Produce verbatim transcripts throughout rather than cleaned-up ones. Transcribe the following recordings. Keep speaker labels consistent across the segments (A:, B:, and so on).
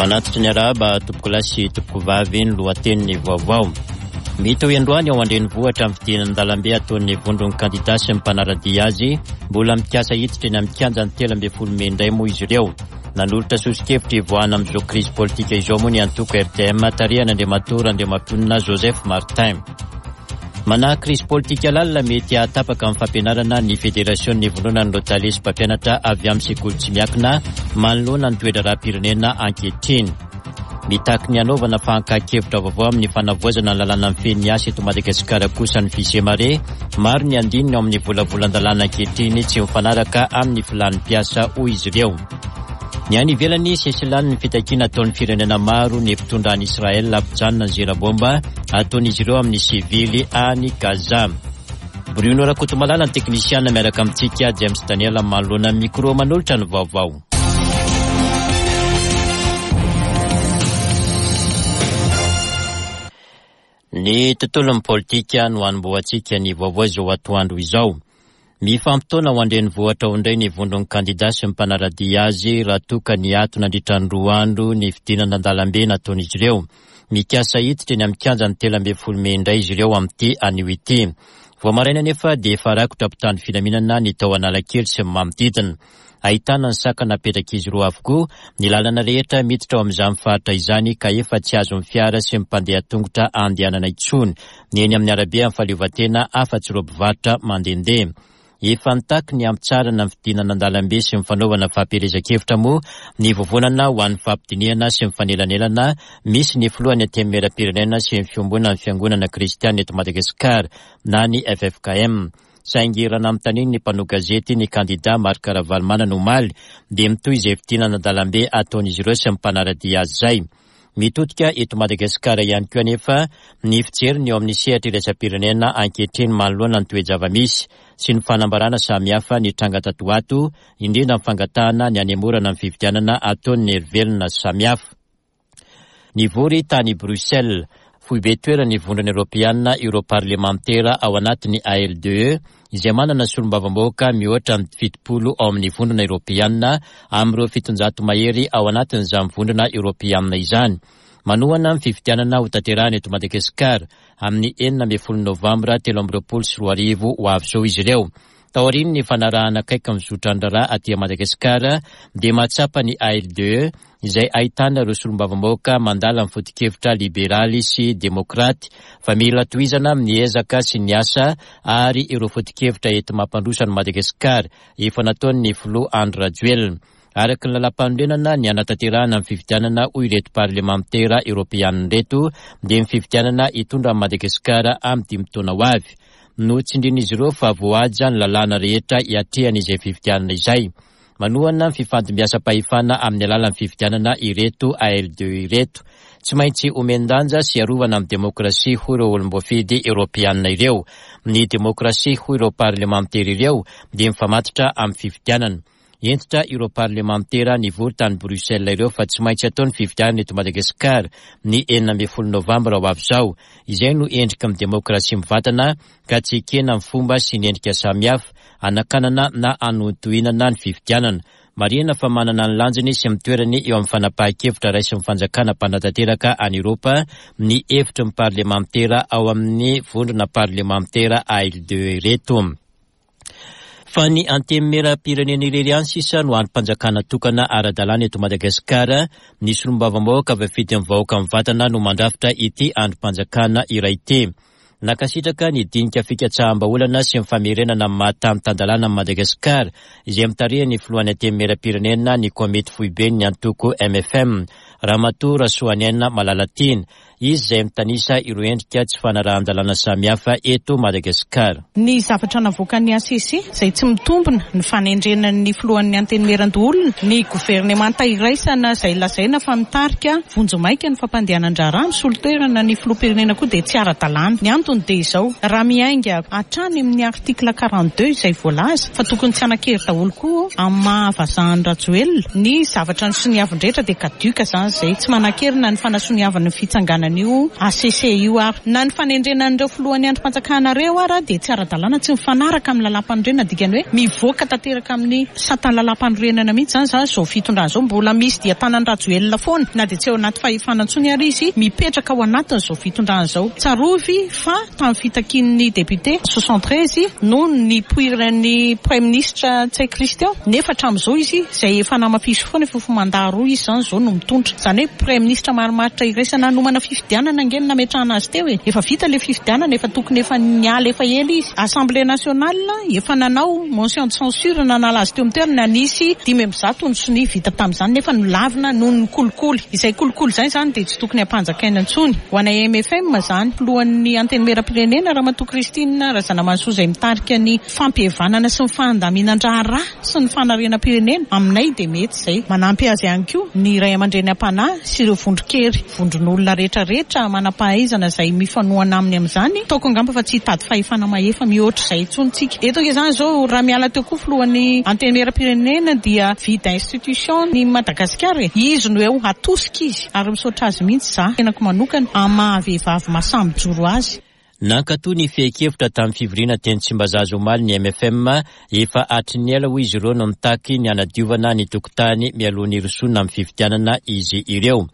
A: Manatitra ny arahaba tompokolahy sy tompokovavy ny lohatenin'ny vaovao. Mitohy androany ao an-drenivohitra amin'ny fidinan-dalambe ataon'ny vondron'ny kandida sy ny mpanara-dia azy. Mbola mikasa hiditra eny amin'ny kianjan'ny telo ambin'ny folo mey indray moa izy ireo. Nanolotra soso-kevitra hivoahana amin'izao krizy politika izao moa ny antoko R T M tarihan'Andriamatoa Randriamampionona Joseph Martin. Manahy krizy politika lalina mety hahatapaka amin'ny fampianarana ny federasion'ny vondronan'ireo tale sy mpampianatra avy amin'ny sekoly tsy miankina manoloana ny toe-draharaham-pirenena ankehitriny. Mitaky ny hanaovana fakan-kevitra vaovao amin'ny fanavaozana ny lalàna mifehy ny asa eto Madagasikara kosa ny Fisemare. Maro ny andininy ao amin'ny volavolan-dalàna ankehitriny tsy mifanaraka amin'ny filan'ny mpiasa, hoy izy ireo. Ny any ivelany, sesilany ny fitakiana ataon'ny firenena maro ny mpitondra any Israël hampijanona ny zera bomba ataon'izy ireo amin'ny sivily any Gaza. Bruno Rakotomalala ny teknisiana miaraka amintsika, James Daniel manoloana ny micro manolotra ny vaovao. Ny tontolon'ny politika no hanombohantsika ny vaovao izao atoandro izao. Mifampitaona ho an-drenivohitra ao indray ny vondron'ny kandida sy ny mpanara-dia azy raha toa ka niato nandritra ny roa andro ny fidinana an-dalambe nataon'izy ireo. Mikasa hiditra eny amin'ny kianjan'ny telo ambin'ny folo mey indray izy ireo amin'ity anio ity. Vao maraina anefa dia efa rakotra mpitandro filaminana ny tao Analakely sy ny manodidina. Ahitana ny sakana apetrak'izy ireo avokoa ny lalana rehetra miditra ao amin'izany faritra izany ka efa tsy azon'ny fiara sy ny mpandeha tongotra andehanana intsony ny eny amin'ny arabe amin'ny fahaleovantena afa-tsy ireo mpivarotra mandehandeha. Efa nitaky ny hampitsarana ny fidinana an-dalambe sy ny fanaovana fampielezan-kevitra moa ny vovonana ho an'ny fampidinihana sy ny fanelanelana misy ny filohan'ny Antenimierampirenena sy ny fiombonan'ny fiangonana kristiana eto Madagasikara na ny F F K M. Saingy raha nanontaniany ny mpanao gazety ny kandida Marc Ravalomanana omaly dia mitohy izay fidinana an-dalambe ataon'izy ireo sy ny mpanara-dia azy izay. Mitodika eto Madagasikara ihany koa anefa ny fijeriny eo amin'ny sehatra iraisam-pirenena ankehitriny manoloana ny toe-java-misy sy ny fanambarana samihafa ny tranga tato ho ato, indrindra ny fangatahana ny hanemorana ny fifidianana ataon'ny herivelona samihafa. Nivory tany Bruxelles, foibe toeran'ny vondrona eoropeana ireo parlemantera ao anatin'ny A L D E izay manana solombavambahoaka mihoatra ny fitopolo ao amin'ny vondrona eoropeana amin'ireo fitonjato mahery ao anatin'izany vondrona eoropeana izany. Manohana ny fifidianana ho tanterahana eto Madagasikara amin'ny enina ambin'ny folo novambra telo amby roapolo sy roa arivo ho avy izao izy ireo. Taorian'ny fanarahana akaiky ny zotran-draharaha aty Madagasikara dia mahatsapa ny A L D E izay ahitana ireo solombavambahoaka mandala ny foto-kevitra liberaly sy demokraty fa mila tohizana amin'ny ezaka sy ny asa ary ireo foto-kevitra enti-mampandroso an'i Madagasikara efa nataon'ny filoha Andry Rajoelina. Araka ny lalàm-panorenana ny hanatanterahana ny fifidianana hoy ireto parlemantera eoropeanina ireto dia ny fifidianana hitondra an'i Madagasikara amin'ny dimy taona ho avy. Notsindrin'izy ireo fa voahaja ny lalàna rehetra hiatrehana izay fifidianana izay. Manohana ny fifandimbiasam-pahefana amin'ny alalan'ny fifidianana ireto A L D E ireto. Tsy maintsy omen-danja sy arovana amin'ny demokrasia hoy ireo olom-boafidy eoropeanina ireo. Ny demokrasia hoy ireo parlemantera ireo dia mifamatotra amin'ny fifidianana. Hentitra ireo parlemantera nivory tany Bruxelles ireo fa tsy maintsy atao ny fifidianana eto Madagasikara ny enina ambin'ny folo novambra ho avy izao. Izay no endrika amin'ny demokrasia mivantana ka tsy ekena amin'ny fomba sy ny endrika samihafa hanakanana na hanohintohinana ny fifidianana. Marihina fa manana ny lanjany sy ny toerany eo amin'ny fanapahan-kevitra raisin'ny fanjakana mpanatanteraka any Eoropa ny hevitry ny parlemantera ao amin'ny vondrona parlemantera A L D E ireto. Fa ny antenimierampirenena irery ihany sisa no andrim-panjakana tokana ara-dalàna eto Madagasikara. Ny solombavambahoaka voafidy amin'ny vahoaka mivantana no mandrafitra ity andrim-panjakana iray ity. Nankasitraka ny dinika fikatsaham-bahaolana sy ny famerenana amin'ny maha tany tan-dalàna amin'i Madagasikara izay mitarihan'ny filohan'ny antenimierampirenena ny komity foiben'ny antoko M F M, Ramatoa Rasoaniaina Malalatiana. Izy izay mitanisa ireo endrika tsy fanarahan-dalàna samihafa eto Madagasikara.
B: Ny zavatra navoakan'ny A C C izay tsy mitombina ny fanendrena ny filohan'ny antenimierandoholona, ny governemanta iraisana izay lazaina fa mitarika vonjimaika ny fampandehanan-draharaha misolo toerana ny filoham-pirenena koa dia tsy ara-dalàna. Ny antony dia izao, raha miainga hatrany amin'ny article quarante-deux izay voalaza fa tokony tsy hanan-kery daholo koa amin'ny maha vazahan'i Rajoelina, ny zavatra nosoniaviny rehetra dia caduc izany izay. Tsy manan-kery na ny fanasoniavana ny fitsanganana an'io H C C io ary na ny fanendrena an'ireo filohan'ny andrim-panjakana reo ara dia tsy ara-dalàna, tsy mifanaraka amin'ny lalàm-panorenana, dikany hoe mivoaka tanteraka amin'ny satan'ny lalàm-panorenana mihitsy zany. Zany zao fitondrana zao mbola misy dia tanan'ny Rajoelina foana na dia tsy eo anaty fahefana intsony ary izy mipetraka ao anatin'izao fitondrana zao. Tsarovy fa tamin'ny fitakian'ny député soixante-treize no nipoiran'ny premier ministre Ntsay Christian, nefa hatramin'izao izy izay efa namafisy foana efa mandat roa izy zany zao no mitondra. Zany hoe premier ministre marimaritra iraisana nomana fifidianana angeny nametrahana azy teo e, efa vita le fifidianana, efa tokony efa niala efa ela izy. Assemblée nationale efa nanao motion de censure nanala azy teo amin'ny toerana, nisy dimy amby zato ny sonia vita tamin'izany nefa nolavina noho ny kolikoly. Izay kolikoly zay zany dia tsy tokony ampanjakaina intsony. Ho anay M F M zany, filohan'ny antenimieram-pirenena Ramatoa Christine Razanamahasoa izay mitarika ny fampihavanana sy ny fandaminan-draharaha sy ny fanarenam-pirenena, aminay dia mety izay. Manampy azy ihany koa ny ray aman-dreny am-panahy sy ireo vondron-kery, vondron'olona rehetrarehetra manam-pahaizana izay mifanohana aminy amin'izany. Ataoko angamba fa tsy hitady fahefana mahefa mihoatra izay intsony tsika eto ange zany zao. Raha miala teo koa filohan'ny antenimieram-pirenena dia vide institution ny Madagasikara e, izy no eo atosika izy ary misaotra azy mihitsy za tenako manokana amin'ny maha-vehivavy mahasahy mijoro azy.
A: Nankatoa ny fehin-kevitra tamin'ny fivoriana teny Tsimbazaza omaly ny M F M. Efa hatry ny ela, hoy izy ireo, no mitaky ny hanadiovana ny tokotany mialoha ny hirosoana amin'ny fifidianana izy ireo.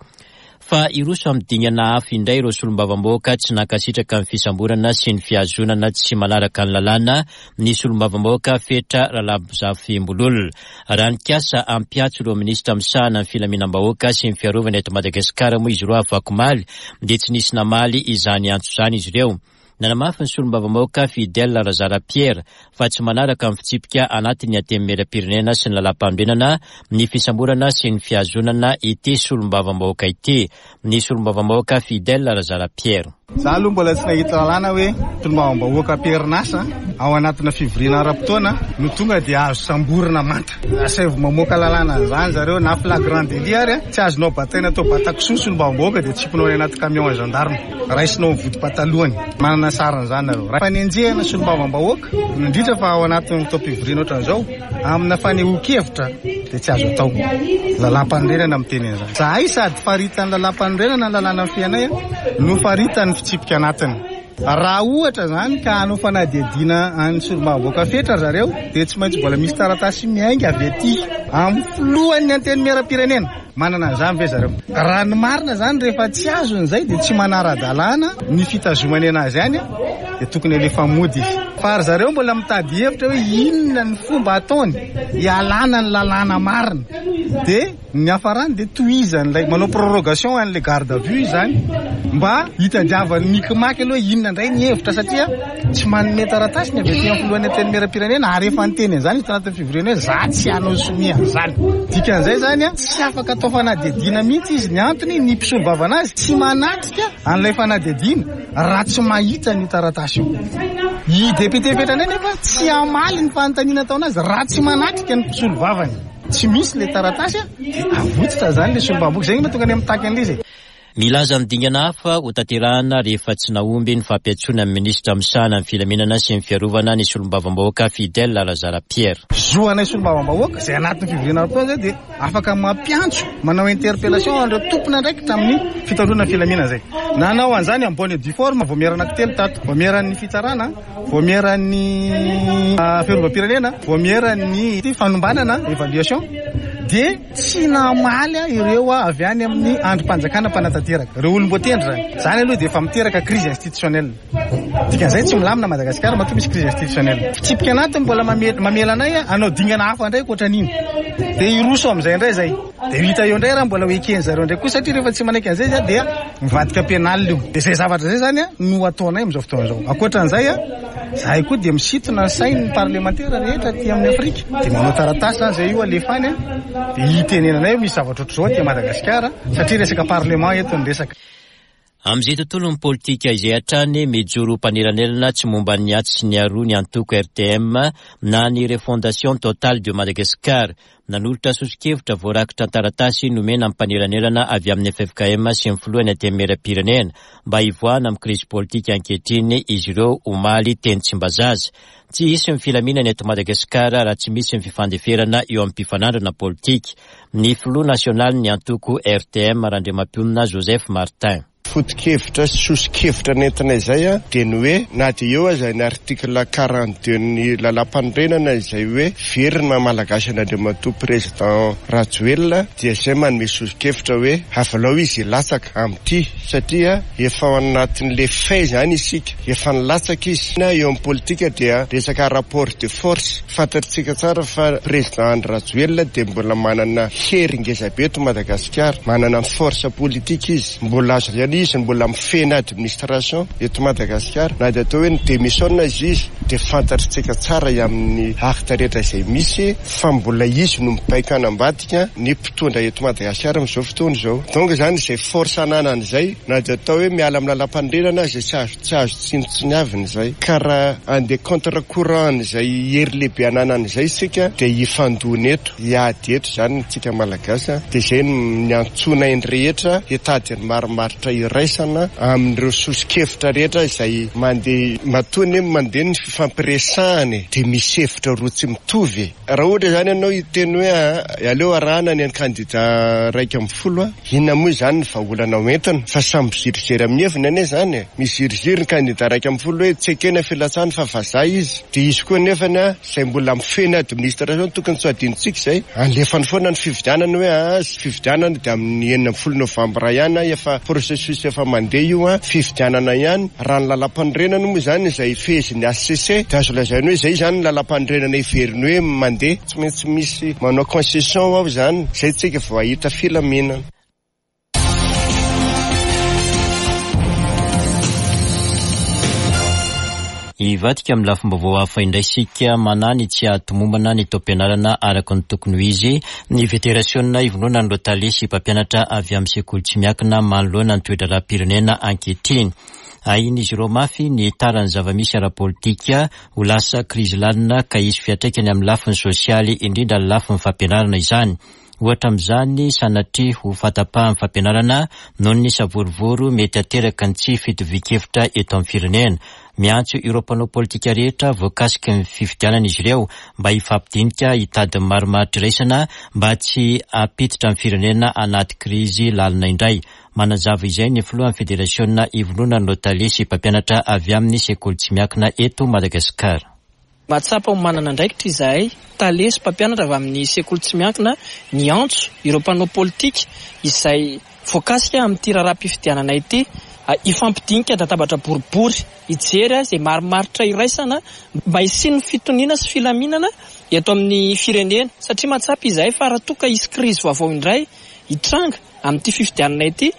A: Fa hiroso amin'ny dingana hafa indray ireo solombavambahoaka tsy nankasitraka ny fisamborana sy ny fihazonana tsy manaraka ny lalàna ny solombavambahoaka Fetra Ralabozafimbololona. Raha nikasa hampiantso ireo minisitra misahana ny filaminam-bahoaka sy ny fiarovana eto Madagasikara moa izy ireo afakomaly, dia tsy nisy namaly izany antso izany izy ireo. Nanamafy ny solombavambahoaka Fidèle Razara Pierre fa tsy manaraka amin'ny fitsipika anatin'ny antenimieram-pirenena sy ny lalàm-panorenana ny fisamborana sy ny fihazonana ity solombavambahoaka ity. Ny solombavambahoaka Fidèle Razara Pierre.
C: Za aloha mbola tsy nahita lalàna hoe solombavambahoaka am-perinasa ao anatina fivoriana ara-potoana no tonga dia azo samborina manta. Asaivo mamoaka lalàna an'izany zareo, na flagrant délit ary tsy azonao bataina atao batakisoa solombavambahoaka dia tsipinao any anaty camion gendarme, raisinao mivody patalohany. Manana sarin'izany nareo. Fanenjehana solombavambahoaka, indrindra fa ao anatin'ny fotoam-pivoriana ohatran'izao, amina fanehoan-kevitra, dia tsy azo atao. Lalàm-panorenana miteny an'izany. Zahay sady faritan'ny lalàm-panorenana ny lalàna fianay no faritan'ny fitsipika anatiny. Raha ohatra zany ka hanao fanadihadiana any solombavambahoaka Fetra zareo, dia tsy maintsy mbola misy taratasy miainga avy aty amin'ny filohan'ny antenimieram-pirenena. Manana an'izany ve zareo? Raha ny marina zany, rehefa tsy azony zay dia tsy manara-dalàna ny fitazomany anazy any, dia tokony alefa mody izy. Fa ry zareo mbola mitady hevitra hoe inona ny fomba ataony hialana ny lalàna marina, dia ny hafarany dia tohizan'ilay manao prorogation an'ilay garde à vue zany mba hitadiavany mikimaky aloha inona indray ny hevitra, satria tsy manome taratasy ny avy aty amin'ny filohan'ny antenimieram-pirenena. Ary efa niteny an'izany izy tanatin'ny fivoriana hoe za tsy hanao sonia an'izany. Dikan'izay zany a, tsy afaka atao fanadihadiana mihitsy izy. Ny antony, ny mpisolovava anazy tsy manatrika an'ilay fanadihadiana raha tsy mahita ny taratasy io. I député Fetra indray nefa tsy hamaly ny fanontaniana ataonazy raha tsy manatrika ny mpisolovavany. Tsy misy le taratasy a, dia avotsitra zany le solombavambahoaka. Zay mahatonga any mitaky an'ilay izy.
A: Milaza ny dingana hafa ho tanterahana rehefa tsy nahomby ny fampiantsoana ny minisitra misahana ny filaminana sy ny fiarovana ny solombavambahoaka Fidèle Razara Pierre.
C: Zo anay solombavambahoaka zay anatin'ny fivoriana ara-potoana zay dia afaka mampiantso, manao interpellation an'ireo tompona andraikitra amin'ny fitandroana ny filaminana. Zay nanao an'izany en bonne et due forme, vaomiera anankitelo tato: vaomieran'ny fitsarana, vaomieran'ny fiarovam-pirenena, vaomieran'ny fanombanana, évaluation. Dia tsy namaly a ireo a avy any amin'ny andrim-panjakana mpanatanteraka, ireo olom-boatendry zany. Zany aloha dia efa miteraka crise institutionnelle. Dikan'izay tsy milamina Madagasikara matoa misy crise institutionnelle. Fitsipika anatiny mbola mamela anay a hanao dingana hafa indray ankoatran'iny, dia hiroso amin'izay indray zay, dia hita eo indray raha mbola ho ekeny zareo indray koa, satria rehefa tsy manaiky an'izay zay dia mivadika pénal io. Dia zay zavatra zay zany a no ataonay amin'izao fotoana izao. Ankoatran'izay a, zahay koa dia misintona ny sain'ny parlemantera rehetra aty amin'ny Afrika, dia manao taratasy zany zay io alefa any a, dia hitenenanay misy zavatra ohatr'izao aty Madagasikara, satria resaka parlement eto ny resaka.
A: Amin'izay tontolo ny politika izay hatrany, mijoro mpanelanelana tsy momba ny atsy sy ny aroa ny antoko R T M na ny Refondation Totale de Madagascar. Nanolotra soso-kevitra voarakitra an-taratasy nomena amin'ny mpanelanelana avy amin'ny F F K M sy ny filohan'ny antenimieram-pirenena mba hivoahana amin'ny krizy politika ankehitriny izy ireo omaly teny Tsimbazaza. Tsy hisy ny filaminana eto Madagasikara raha tsy misy ny fifandeferana eo amin'ny mpifanandrina politika. Ny filoha nasionaly ny antoko R T M, Randriamampionona Joseph Martin.
D: Foto-kevitra sy soso-kevitra nentina izay a dia ny hoe na dia eo aza ny article quarante-deux ny lalàm-panorenana izay hoe very ny maha malagasy an'Andriamatoa président Rajoelina, dia izay manome soso-kevitra hoe avalao izy hilatsaka amin'ity, satria efa ao anatin'le fait zany isika, efa nilatsaka izy. Na eo amin'ny politika dia resaka rapport de force, fantatsika tsara fa président Andry Rajoelina dia mbola manana hery ngeza be eto Madagasikara, manana force politique izy, mbola azo ihany izy, mbola mifehy administration eto Madagasikara. Na dia atao hoe ny démissionne izy izy dia fantatsika tsara amin'ny acte rehetra izay misy fa mbola izy no mibaiko anambadika ny mpitondra eto Madagasikara amin'izao fotoana izao. Donc zany izay force ananany izay, na dia atao hoe miala amin'ny lalàm-panorenana izay tsy azo tsy azo tsinontsiniavina izay, ka raha andeha contre courant izay hery lehibe ananany izay isika dia hifandona eto, hiady eto zany tsika malagasy. Dia izay ny antsoina ny rehetra hitady ny marimaritra iraisana amin'ireo soso-kevitra rehetra izay mandeha matony mandeha ny fifampiresahana, dia misy hevitra roa tsy mitovy. Raha ohatra zany ianao hiteny hoe aleo arahana ny kandida raika amin'ny folo, inona moa izany ny vahaolana hoentina, fa samy miziriziry amin'ny heviny anie zany. Miziriziry ny kandida raika amin'ny folo hoe tsy ekena filatsahana fa vazaha izy, dia izy koa nefany a izay mbola mifehy administration tokony tsy ho adinontsika izay, alefany foana ny fifidianana hoe a fifidianana dia amin'ny enina ambin'ny folo novambra ihany, efa processus efa mandeha io a fifidianana ihany. Raha ny lalàm-panorenana moa zany izay fehezin'ny H C C dia azo lazaina hoe izay zany ny lalàm-panorenana heveriny hoe mandeha, tsy maintsy misy manao concession ao zany, izay tsika vao hahita filaminana.
A: Hivadika amin'ny lafim-baovao hafa indray isika. Manany tsy hahatomombana ny taom-pianarana araka ny tokony ho izy ny federasiona ivondronan'ireo tale sy mpampianatra avy amin'ny sekoly tsy miankina manoloana ny toe-draharaham-pirenena ankehitriny. Ahin'izy ireo mafy ny taran'ny zava-misy ara-politika ho lasa krizy lalina ka hisy fiantraikany amin'ny lafiny sosialy, indrindra ny lafiny fampianarana izany. Ohatra amin'izany, sanatria ho fahatapahan'ny fampianarana noho ny savorovoro mety hateraka ny tsy fitovian-kevitra eto amin'ny firenena. Miantso ireo mpanao politika rehetra voakasiky ny fifidianana izy ireo mba hifampidinika hitady ny marimaritra iraisana mba tsy hampiditra ny firenena anaty krizy lalina indray. Manazava izay ny filohan'ny federasiona ivondronan'ireo tale sy mpampianatra avy amin'ny sekoly tsy miankina eto Madagasikara.
E: Mahatsapa ho manana andraikitra izahay tale sy mpampianatra avy amin'ny sekoly tsy miankina niantso ireo mpanao politika izay voakasika amin'ity raharaham-pifidianana ity hifampidinika databatra boribory hijery izay marimaritra iraisana mba hisian'ny fitoniana sy filaminana eto amin'ny firenena, satria mahatsapa izahay fa raha toa ka hisy krizy vaovao indray hitranga amin'ity fifidianana ity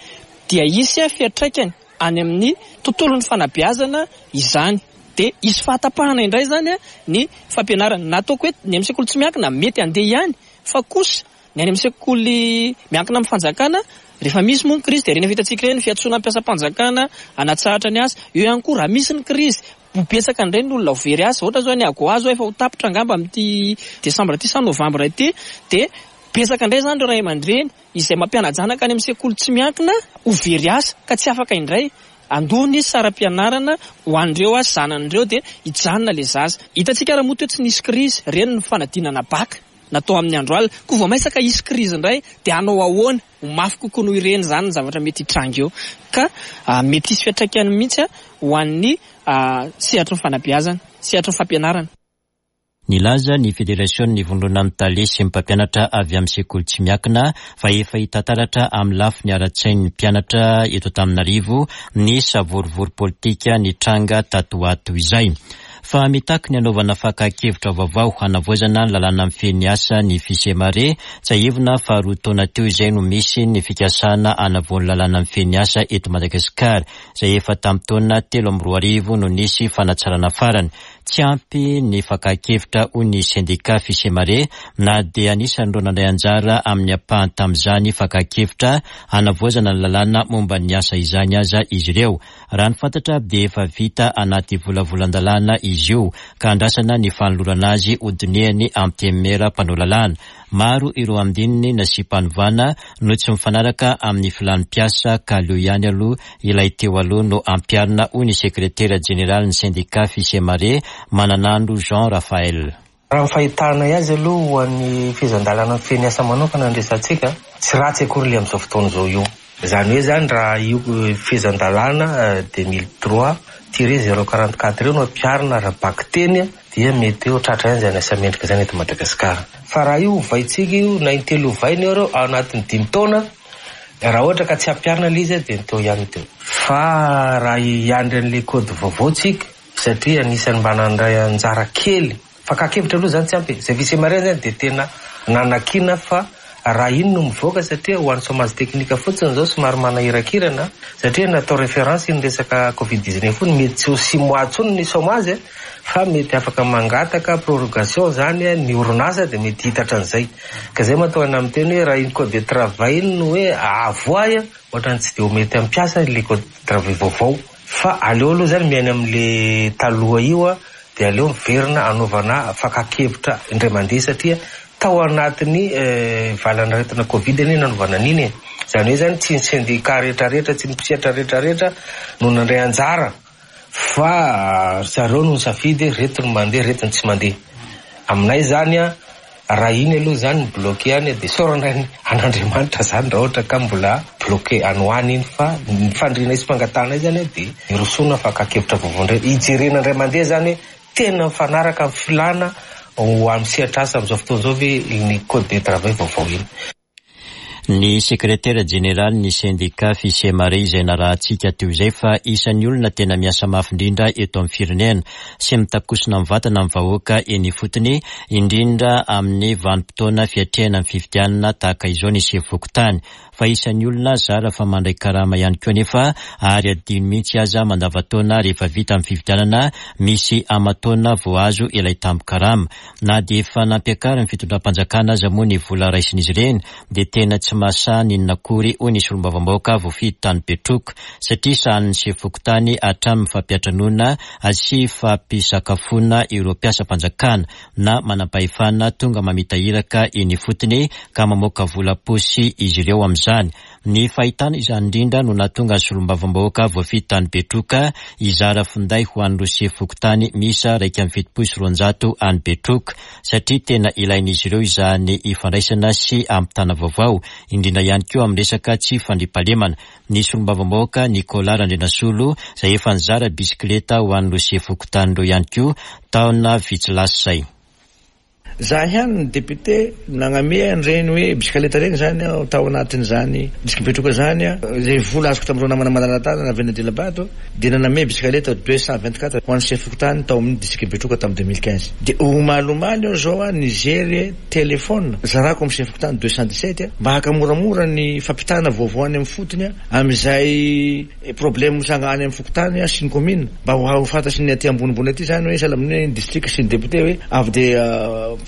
E: dia hisy fiantraikany any amin'ny tontolon'ny fanabeazana izany. Dia hisy fahatapahana indray zany ny fampianarana. Na ataoko hoe ny amin'ny sekoly tsy miankina mety handeha ihany, fa kosa ny any amin'ny sekoly miankina amin'ny fanjakana rehefa misy moa ny krizy dia ireny efa hitantsika ireny fiantsoana mpiasam-panjakana hanatsahatra ny asa. Eo ihany koa raha misy ny krizy ho betsaka indray ny olona ho very asa. Ohatra zao ny Agoa zao efa ho tapitra angamba amin'ity desambra ity sa novambra ity, dia betsaka indray zany ireo ray aman-dreny izay mampiana-janaka any amin'ny sekoly tsy miankina ho very asa ka tsy afaka indray andoha ny saram-pianarana ho an'ireo asa zanan'ireo, dia hijanona ilay zaza. Hitantsika raha moa teo tsy nisy krizy, ireny ny fanadinana baka natao amin'ny andro alina, koa vao maisaka hisy krizy indray dia hanao ahoana? Ho mafy kokoa noho ireny zany ny zavatra mety hitranga eo, ka mety hisy fiantraikany mihitsy ho an'ny sehatry ny fanabeazana, sehatry ny fampianarana.
A: Nilaza ny federasiona ivondronan'ny tale sy ny mpampianatra avy amin'ny sekoly tsy miankina fa efa hita taratra amin'ny lafiny ara-tsain'ny mpianatra eto Antananarivo ny savorovoro politika nitranga tato ho ato izay. Fa mitaky ny hanaovana fakan-kevitra vaovao hanavaozana ny lalàna mifehy ny asa ny Fisemare. Tsiahivina fa roa taona teo izay no misy ny fikasana hanavao ny lalàna mifehy ny asa eto Madagasikara, izay efa tamin'ny taona telo amby roa arivo no nisy fanatsarana farany. Tsy ampy ny fakan-kevitra hoy ny sendika Fisemare, na dia anisan'ireo nandray anjara amin'ny ampahany tamin'izany fakan-kevitra hanavaozana ny lalàna momba ny asa izany aza izy ireo. Raha ny fantatra dia efa vita anaty volavolan-dalàna izy io, ka andrasana ny fanolorana azy hodinihany antenimiera mpanao lalàna. Maro ireo andininy nasiam-panovana no tsy mifanaraka amin'ny filan'ny mpiasa, ka aleo ihany aloha ilay teo aloha no ampiharina, hoy ny sekretera jeneralin'ny sendika Fisemare, Mananandro Jean Raphaël.
F: Raha ny fahitanay azy aloha ho an'ny fehezan-dalàna mifehy ny asa manokana ny resatsika, tsy ratsy akory ilay amin'izao fotoana izao io. Izany hoe zany raha io fehezan-dalàna deux mille trois tiret zéro quarante quatre io no ampiharina ara-bakiteny dia mety ho tratra ihany izany asa mendrika izany eto Madagasikara. Fa raha io ovaintsika io na intelo ovaina io ao anatin'ny dimy taona, raha ohatra ka tsy ampiharina ilay izy dia ny teo ihany teo. Fa raha hiandry an'ilay code vaovao tsika, satria anisan'ny mba nandray anjara kely, fakan-kevitra aloha zany tsy ampy. Izay Fisemare zany dia tena nanakina fa raha iny no mivoaka, satria ho an'ny chômage technique fotsiny izao somary manahirakirana, satria natao référence iny resaka covid dix-neuf iny, mety tsy ho six mois intsony ny chômage, fa mety afaka mangataka prorogation zany ny orinasa dia mety hitatra an'izay. Ka izay mahatonga ana miteny hoe raha iny code de travail iny no hoe avoay, ohatrany tsy dia ho mety ampiasa ilay code de travail vaovao. Fa aleo aloha zany miaina amin'le taloha io a, dia aleo miverina anaovana fakan-kevitra indray mandeha, satria tao anatin'ny valanaretina covid anie nanaovana an'iny e. Izany hoe zany tsy ny syndicat rehetrarehetra, tsy ny mpisehatra rehetrarehetra no nandray anjara, fa zareo no nisafidy reto no mandeha, reto no tsy mandeha. Aminay zany a, raha iny aloha zany ny bloqué any dia sorana an'Andriamanitra zany raha ohatra ka mbola bloqué any ho any iny, fa ny fandrinay sy fangatanay zany dia irosona fakan-kevitra vaovao indray, hijerena indray mandeha zany hoe tena mifanaraka amin'ny filàna ho amin'ny sehatra asa amin'izao fotoana izao ve ny code de travail vaovao iny.
A: Ny sekretera jeneraly ny sendika Fisemare izay narahantsika teo izay fa isan'ny olona tena miasa mafy indrindra eto amin'ny firenena sy mitakosina mivantana amin'ny vahoaka eny ifotony, indrindra amin'ny vanim-potoana fiatrehana ny fifidianana tahaka izao ny sefo fokontany. Fa isan'ny olona zara fa mandray karama ihany koa nefa ary adino mihitsy aza mandavantaona rehefa vita amin'ny fifidianana misy aman-taona vao azo ilay tambin-karama. Na dia efa nampiakarin'ny fitondram-panjakana aza moa ny vola raisin'izy ireny dia tena tsy mahasahy n'inona akory, hoy ny solombavambahoaka voafidy tany Betroka, satria sahanin'ny sefo fokontany hatramin'ny fampiantranoana sy fampisakafoana ireo mpiasam-panjakana na manam-pahefana tonga mamita iraka eny ifotony ka mamoaka vola posy izy ireo amin'izany. Ny fahitana izany indrindra no nahatonga ny solombavambahoaka voafidy tany Betroka hizara finday ho an'ireo sefo fokontany miisa iraika amby fitopolo sy roanjato any Betroka, satria tena ilain'izy ireo izany ifandraisana sy ampitana vaovao, indrindra ihany koa amin'ny resaka tsy fandriampahalemana. Ny solombavambahoaka Nicolas Randrianasolo izay efa nizara bisikileta ho an'ireo sefo fokontany ireo ihany koa taona vitsy lasa izay.
G: Za ihany ny député nagname an'ireny hoe bisikileta ireny zany aho tao anatin'izany district Betroka zany a, zay vola azoko tamin'ireo namana malala-tanana avy any Dilabato dia naname bisikileta deux cent vingt-quatre ho an'ny sefo fokontany tao amin'ny district Betroka tamin'ny deux mille quinze. Dia omaly aho zao a nijery téléphone zarako amin'ny sefo fokontany deux cent dix-sept mba haka moramora ny fampitana vaovao any amin'ny fotony amin'izay problème mitranga any amin'ny fokontany sy ny commune, mba ho fantatry ny aty ambonimbony aty zany hoe sahala amin'ny hoe district sy ny député hoe avy dia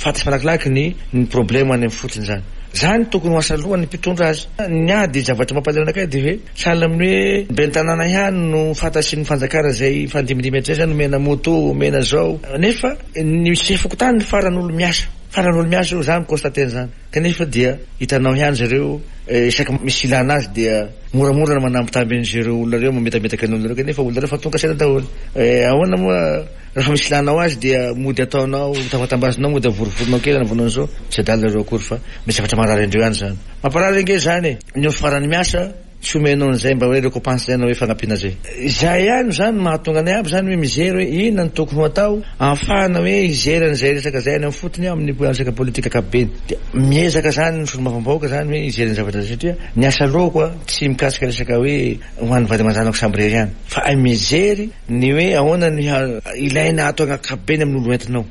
G: fantatry malakilaky ny ny problème any amin'ny fotony zany. Zany tokony ho asa alohan'ny mpitondra azy. Ny ady zavatra mampalahelo anakay dia hoe sahala amin'ny hoe ben'ny tanàna ihany no fantatry ny fanjakana zay fandimindimy hatrizay zany, omena moto, omena zao, nefa ny sefo fokontany ny faran'olo miasa, faran'olo miasa io zany constater zany, kanefa dia hitanao ihany zareo isaky misy ilana azy dia moramora ny manambitamby an'izareo olona ireo, mametametaka ny olona ireo, kanefa olona ireo fa tonga saina daholo. Ahoana moa rehefa misy ilanao azy dia mody ataonao tafatambazinao, mody avorivorinao kely anaovanao an'izao, tsy adala ireo akory fa misy zavatra marary andreo ihany zany. Mamparary ange zany e, ny farany miasa tsy omenao an'izay mba hoe récompense zay na hoe fanampiana zay. Zay ihany zany mahatonga anay aby zany hoe mijery hoe inona no tokony ho atao ahafahana hoe hijery an'izay resaka zay any amin'ny fotony amin'ny resaka politika ankapobeny. Dia miezaka zany ny solombavambahoaka zany hoe hijery ny zavatra zay, satria ny asa lohako a tsy mikasika resaka hoe ho an'ny vady aman-janako samby irery ihany, fa ay mijery ny hoe ahoana ny ilaina atao ankapobeny amin'ny olo entinao.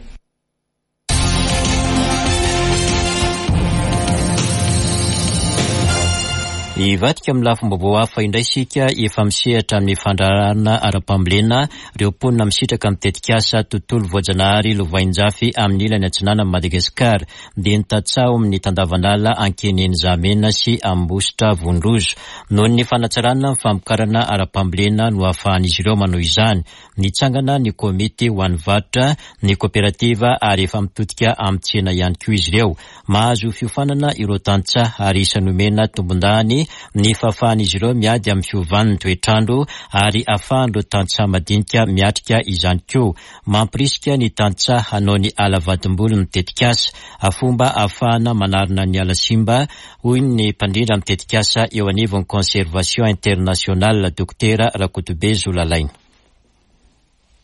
A: Hivadika amin'ny lafim-baovao hafa indray isika, efa misehatra amin'ny fandraharahana ara-pambolena ireo mponina misitraka amin'ny tetikasa tontolo voajanahary lovainjafy amin'ny ilany atsinanan'i Madagasikara, dia ny tantsaha amin'ny tandavanala Ankeneny Zamena sy Ambositra Vondrozo. Noho ny fanatsarana ny famokarana ara-pambolena no ahafahan'izy ireo manao izany. Nitsangana ny komity ho an'ny varotra, ny kooperativa ary efa mitodika amin'ny tsena ihany koa izy ireo. Mahazo fiofanana ireo tantsaha ary isan'ny omena tombondahiny hatrany ny fahafahan'izy ireo miady amin'ny fiovan'ny toetrandro ary ahafahan'ireo tantsaha madinika miatrika izany koa. Mampirisika ny tantsaha hanao ny ala vadimboly ny tetikasa, fomba ahafahana manarina ny ala simba, hoy ny mpandrindra amin'ny tetikasa eo anivon'ny Conservation Internationale, Dokotera Rakotobe Zolalaina.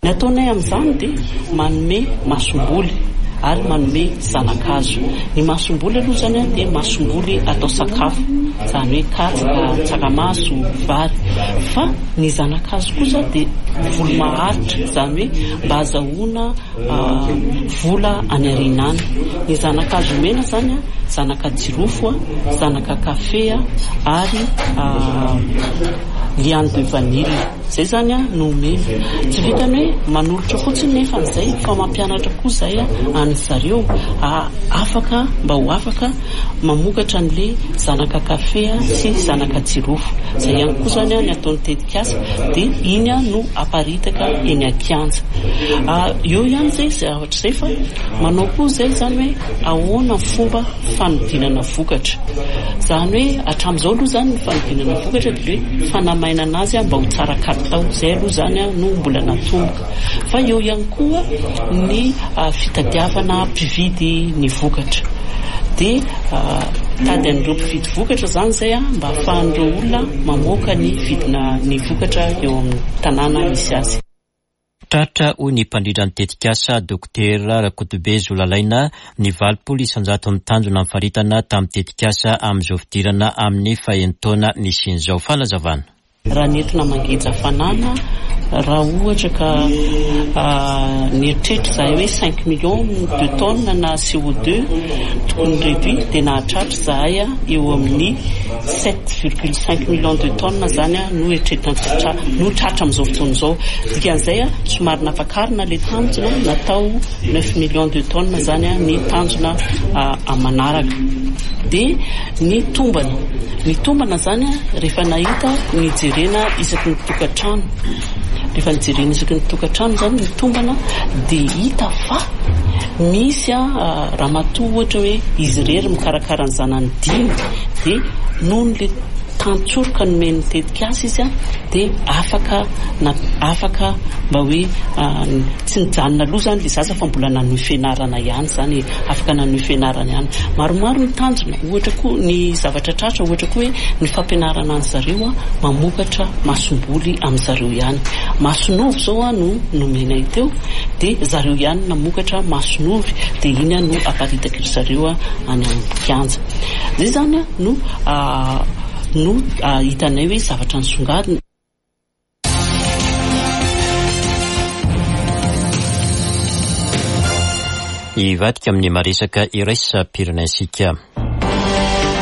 H: Ny ataonay amin'izany dia manome masomboly ary manome zana-kazo. Ny masomboly aloha izany dia masomboly atao sakafo, izany hoe katsaka, tsaramaso, vary. Fa ny zana-kazo kosa dia voly maharitra, izany hoe mba azahoana vola any aoriana any. Ny zana-kazo omena izany zanaka jirofo, zanaka kafe ary liane de vanille. Izay izany no omena. Tsy vitany hoe manolotra fotsiny nefa an'izay fa mampianatra koa izay any zareo afaka mba ho afaka mamokatra an'ilay zanaka kafe sy zanaka jirofo. Izay ihany koa izany ny ataon'ny tetikasa dia iny no aparitaka eny an-kianja. Eo ihany izay zavatra izay fa manao koa izay izany hoe ahoana ny fomba fanodinana vokatra. Izany hoe hatramin'izao aloha izany ny fanodinana vokatra dia hoe fanamainana azy mba ho tsara kalitao. Izay aloha izany no mbola natomboka. Fa eo ihany koa ny fitadiavana mpividy ny vokatra. Dia tady an'ireo mpividy vokatra izany izay mba ahafahan'ireo olona mamoaka ny vidina ny vokatra eo amin'ny tanàna misy azy.
A: Tratra hoy ny mpandrindra ny tetikasa Dokotera Rakotobe Zolalaina ny valopolo isanjato ny tanjona amin'ny faritana tamin'ny tetikasa amin'izao fidirana amin'ny fahenina nisian'izao fanazavana.
H: Raha nentina mangeja fanana, raha ohatra ka nieritreritra izahay hoe cinq millions de tonnes na C O deux tokony réduit dia nahatratra izahay eo amin'ny sept virgule cinq millions de tonnes izany no eritreretina no tratra amin'izao fotoana izao. Dikan'izay somary nampakarina ilay tanjona natao neuf millions de tonnes izany ny tanjona manaraka. Dia ny tombana, ny tombana izany rehefa nahita nijerena isaky ny tokantrano. Rehefa nijerena isaky ny tokantrano izany ny tombana dia hita fa misy ramatoa ohatra hoe izy irery mikarakara ny zanany dimy dia noho ny tantsoroka nomen'ny tetikasa izy dia afaka na afaka mba hoe tsy nijanona aloha izany ilay zaza fa mbola nanohy fianarana ihany izany, afaka nanohy fianarana ihany. Maromaro ny tanjona, ohatra koa ny zavatra tratra, ohatra koa hoe ny fampianarana any zareo mamokatra masomboly amin'ny zareo ihany. Masonovy izao no nomenay teo dia zareo ihany namokatra masonovy dia iny no aparitaky ry zareo any amin'ny kianja. Izay izany no no hitanay hoe zavatra nisongadina.
A: Hivadika amin'ny maresaka iraisam-pirenentsika.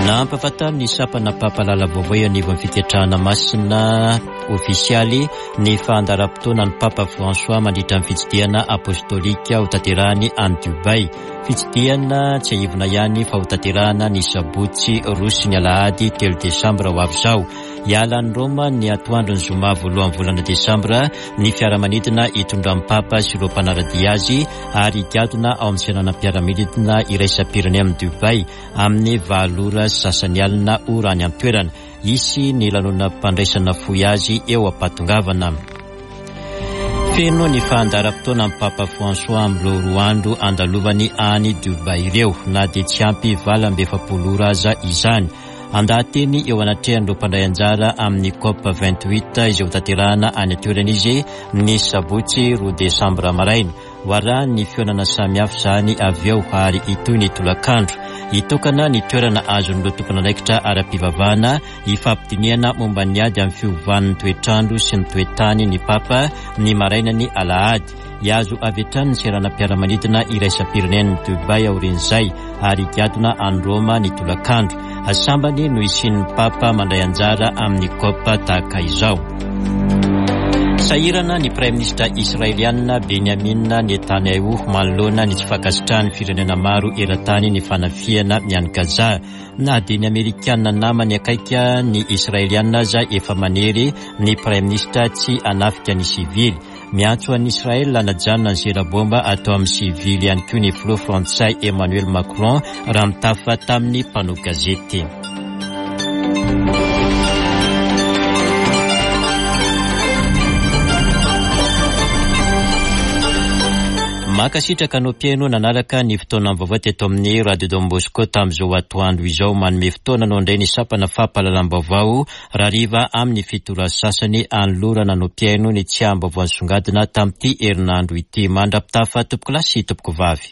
A: Nampahafantariny ny sampana mpampahalala vaovao eo anivon'ny fiketrahana masina ofisialy ny fandaharam-potoana ny Papa François mandritra ny fitsidihana apostolika ho tanterahany any Dubai. Fitsidihana tsy aivona ihany fa ho tanterahana ny sabotsy roa sy ny alahady telo desambra ho avy izao. Hiala any Roma ny atoandron'ny zoma voalohan'ny volana desambra ny fiaramanidina hitondran'ny Papa sy ireo mpanara-dia azy ary higadona ao amin'ny seranam-piaramanidina iraisam-pirenena amin'ny Dubai amin'ny valo ora sasany alina ora any an-toerana. Hisy ny lanonam-pandraisana fohy azy eo am-pahatongavana. Feno ny fandaharam-potoana amin'ny Papa François amin'ireo roa andro andalovany any Dubai ireo na dia tsy ampy valo amby efapolo ora aza izany. Andahateny eo anatrehan'ireo mpandray anjara amin'ny COP vingt-huit izay ho tanterahana any an-toerana izy ny sabotsy roa desambra maraina. Ho arahan'ny fihaonana samihafa izany avy eo ary hitohy ny tolakandro. Hitokana ny toerana azon'ireo tompon'andraikitra ara-pivavahana hifampidinihana momba ny ady amin'ny fiovan'ny toetrandro sy ny toetany ny Papa ny marainany alahady. Hiazo avy hatrany ny seranam-piaramanidina iraisam-pirenen'i Dubai aorian'izay ary higadona any Roma ny tolakandro. Sambany no hisian'ny Papa mandray anjara amin'ny COP tahaka izao. Sahirana ny Praiminisitra israelianina Benjamin Netanyahu manoloana ny tsy fankasitrahan'ny firenena maro eran-tany ny fanafihana any Gaza. Na dia ny Amerikana namany akaiky ny Israelianina aza efa manery ny Praiminisitra tsy hanafika ny sivily. Miantso an'i Israel hanajanona ny zera-bomba atao amin'ny sivily ihany koa ny filoha frantsay Emmanuel Macron raha mitafa tamin'ny mpanao gazety. Mankasitraka anao mpihaino nanaraka ny fotoana vaovao teto amin'ny Radio Don Bosco tamin'izao atoandro izao. Manome fotoana anao indray ny sampana fampahalalam-baovao rahariva amin'ny fito ora sasany anolorana anao mpihaino ny tsiahim-baovao nisongadina tamin'ity herinandro ity. Mandra-pitafa tompoko lahy sy tompoko vavy.